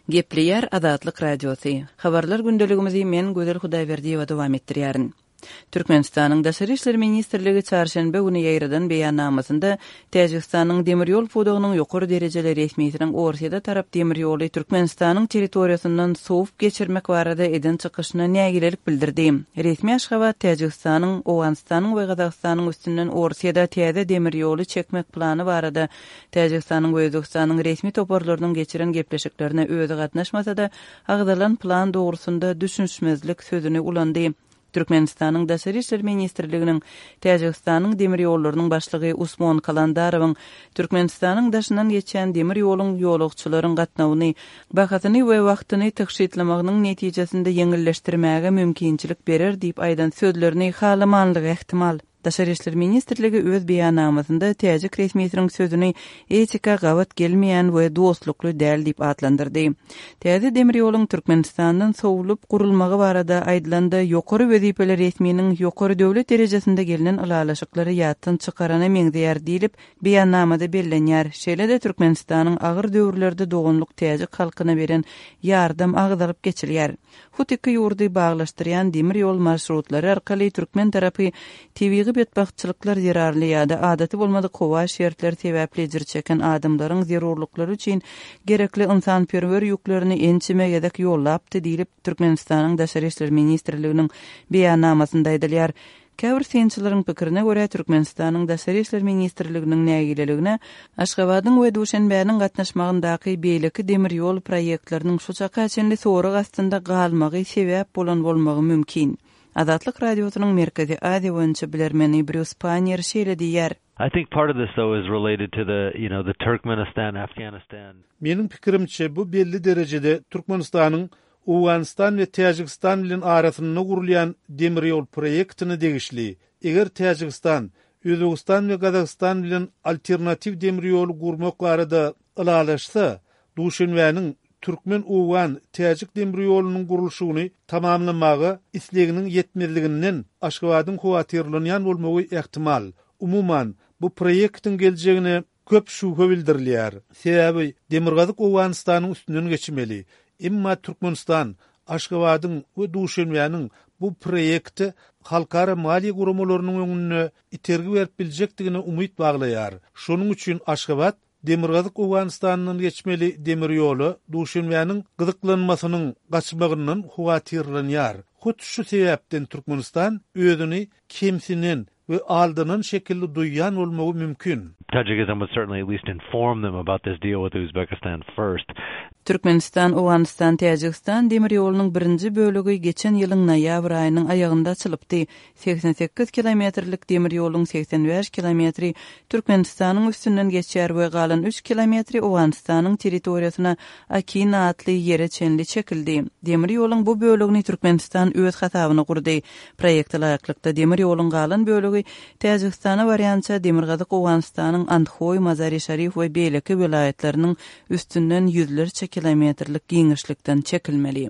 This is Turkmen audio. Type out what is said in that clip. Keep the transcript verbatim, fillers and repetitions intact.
Gepleýär Azatlyk Radiosy. Habarlar gündeligimizi men Gözel Hudaýberdiýewa dowam etdirýärin. Türkmenistanyň Daşary işler ministrligi çarşenbe güni ýaýradan beýannamasynda Täjigistanyň demir ýol pudagynyň ýokary derejeli resmisiniň Orsýete tarap demir ýoly Türkmenistanyň territoriýasyndan sowup geçirmek barada eden çykyşyna nägilelik bildirdi. Resmi Aşgabat Täjigistanyň, Owganystanyň we Gazagystanyň üstünden Orsýete täze demir ýoly çekmek plany barada Täjigistanyň we Özbegistanyň resmi toparlarynyň geçiren gepleşiklerine özi gatnaşmasa-da, agzalan plan dogrusynda düşünişmezlik sözüni ulandy. Türkmenistanyň Daşary işler ministrliginiň Täjigistanyň demir ýollarynyň başlygy Usmon Kalandarowyň Türkmenistanyň daşyndan geçýän demir ýoluň ýolagçylaryň gatnawyny, bahasyny we wagtyny tygşytlamagynyň netijesinde ýeňilleşdirmäge mümkinçilik berer diýip aýdan sözlerini halamanlygy ähtimal. Daşary işler ministrligi öz beýannamasynda täjik resmisiniň sözüni etika gabat gelmeýän we dostlukly däl diýip atlandyrdy. Täze demir ýoluň Türkmenistandan sowlup gurulmagy barada aýdylanda ýokary wezipeli resminiň ýokary döwlet derejesinde gelnen ylalaşyklary ýatdan çykarana meňzeýär diýlip beýannamada bellenýär. Şeýle-de Türkmenistanyň agyr döwürlerde doganlyk täjik halkyna beren ýardam agzalyp geçilýär. Hut iki ýurdy baglaşdyrýan demir ýol marşrutlary arkaly türkmen tarapy tebigy betbagtçylyklar zerarly ýa-da adaty bolmadyk howa şertleri sebäpli ejir çeken adamlaryň zerurlyklary üçin gerekli ynsanperwer ýüklerini ençeme gezek ýollapdy diýlip Türkmenistanyň Daşary işler ministrliginiň beýannamasynda aýdylýar. Käbir synçylaryň pikirine görä Türkmenistanyň Daşary işler ministrliginiň nägileligine Aşgabadyň we Duşenbäniň gatnaşmagyndaky beýleki demir ýol proýektleriniň şu çaka çenli sorag astynda galmagy sebäp bolan bolmagy mümkin. Azatlyk Radiosynyň Merkezi Aziýa boýunça bilermeni Brýus Pannier şeýle diýýär. I think part of this though is related to the, you know, the Turkmenistan Afghanistan. Meniň pikirimçe bu belli derejede Türkmenistanyň Owganystan we Täjigistan bilen arasynda gurulýan demir ýol proýektine degişli. Eger Täjigistan, Özbegistan we Gazagystan bilen alternatiw demir ýoly gurmak barada ylalaşsa, Duşenbäniň Türkmen-Owgan Täjik demir ýolunyň gurluşygyny tamamlamaga isleginiň ýetmezliginden Aşgabadyň howatyrlanýan bolmagy ähtimal. Umuman, bu proýektiň geljegine köp şübhe bildirilýär. Sebäbi Demirgazyk Owganystanyň üstünden geçmeli. Emma Türkmenistan Aşgabadyň we Duşenbäniň bu proýekte halkara maliýe guramalarynyň öňünde itergi berip biljekdigine umyt baglaýar. Şonuň üçin Aşgabat Demirgazyk Owganystandan geçmeli demir ýola Duşenbäniň gyzyklanmasynyň gaçmagyndan howatyrlanýar. Hut şu sebäpden Türkmenistan özüni kemsinen we aldanan şekilde duýýan bolmagy mümkin. Tajikistan would certainly at least inform them about this deal with Uzbekistan first. Türkmenistan, Owganystan, Täjigistan demir ýolunyň birinji bölegi geçen ýylyň noýabr aýynyň aýagynda açylypdy. seksen sekiz kilometrlik demir ýoluň seksen bäş kilometri Türkmenistanyň üstünden geçýär we galan üç kilometri Owganystanyň territoriýasyna Akina atly ýere çenli çekildi. Demir ýoluň bu bölegini Türkmenistan öz hasabyna gurdy. Proýekte laýyklykda demir ýoluň galan bölegi Täjigistana barýança Demirgazyk Owganystanyň Andhoý, Mazari-Şarif we beýleki welaýatlarynyň üstünden ýüzlerçe kilometrlik giňişlikden çekilmeli.